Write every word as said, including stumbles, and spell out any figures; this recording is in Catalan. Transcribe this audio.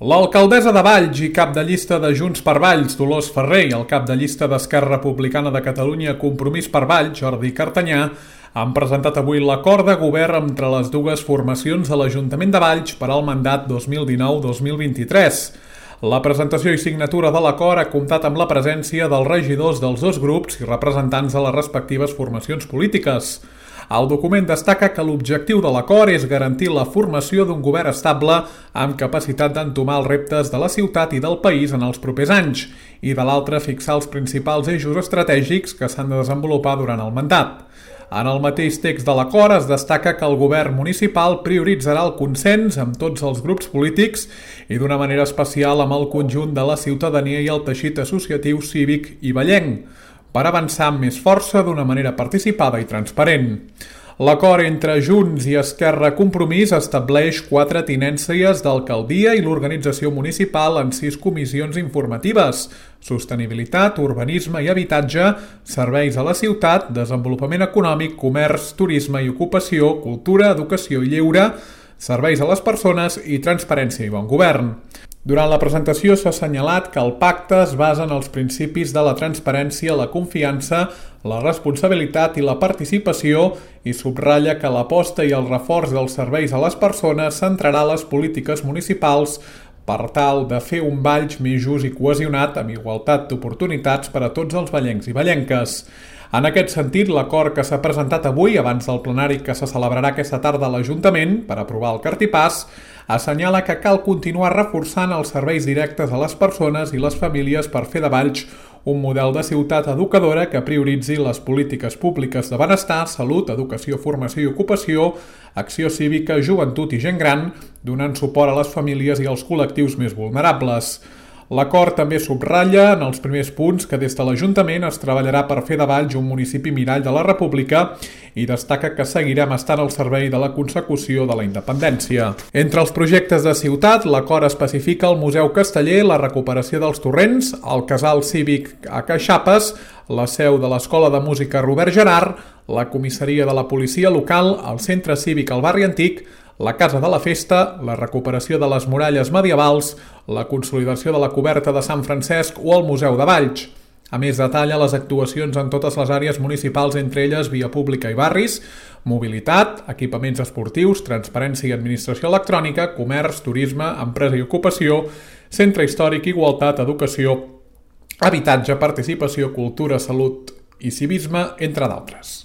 L'alcaldessa de Valls i cap de llista de Junts per Valls, Dolors Ferrer, i el cap de llista d'Esquerra Republicana de Catalunya, Compromís per Valls, Jordi Cartanyà, han presentat avui l'acord de govern entre les dues formacions de l'Ajuntament de Valls per al mandat dos mil dinou dos mil vint-i-tres. La presentació i signatura de l'acord ha comptat amb la presència dels regidors dels dos grups i representants de les respectives formacions polítiques. El document destaca que l'objectiu de l'acord és garantir la formació d'un govern estable amb capacitat d'entomar els reptes de la ciutat i del país en els propers anys i, de l'altre, fixar els principals eixos estratègics que s'han de desenvolupar durant el mandat. En el mateix text de l'acord es destaca que el govern municipal prioritzarà el consens amb tots els grups polítics i d'una manera especial amb el conjunt de la ciutadania i el teixit associatiu, cívic i vallenc, per avançar amb més força d'una manera participada i transparent. L'acord entre Junts i Esquerra Compromís estableix quatre tinències d'alcaldia i l'organització municipal en sis comissions informatives: sostenibilitat, urbanisme i habitatge, serveis a la ciutat, desenvolupament econòmic, comerç, turisme i ocupació, cultura, educació i lleure, serveis a les persones i transparència i bon govern. Durant la presentació s'ha assenyalat que el pacte es basa en els principis de la transparència, la confiança, la responsabilitat i la participació i subratlla que l'aposta i el reforç dels serveis a les persones centrarà les polítiques municipals per tal de fer un Valls més just i cohesionat amb igualtat d'oportunitats per a tots els vallencs i vallenques. En aquest sentit, l'acord que s'ha presentat avui, abans del plenari que se celebrarà aquesta tarda a l'Ajuntament per aprovar el cartipàs, assenyala que cal continuar reforçant els serveis directes a les persones i les famílies per fer de Valls un model de ciutat educadora que prioritzi les polítiques públiques de benestar, salut, educació, formació i ocupació, acció cívica, joventut i gent gran, donant suport a les famílies i als col·lectius més vulnerables. L'acord també subratlla en els primers punts que des de l'Ajuntament es treballarà per fer de Valls un municipi mirall de la República i destaca que seguirem estant al servei de la consecució de la independència. Entre els projectes de ciutat, l'acord especifica el Museu Casteller, la recuperació dels torrents, el Casal Cívic a Caixapes, la seu de l'Escola de Música Robert Gerard, la comissaria de la policia local, el centre cívic al barri antic, la Casa de la Festa, la recuperació de les muralles medievals, la consolidació de la coberta de Sant Francesc o el Museu de Valls. A més, detalla les actuacions en totes les àrees municipals, entre elles via pública i barris, mobilitat, equipaments esportius, transparència i administració electrònica, comerç, turisme, empresa i ocupació, centre històric, igualtat, educació, habitatge, participació, cultura, salut i civisme, entre d'altres.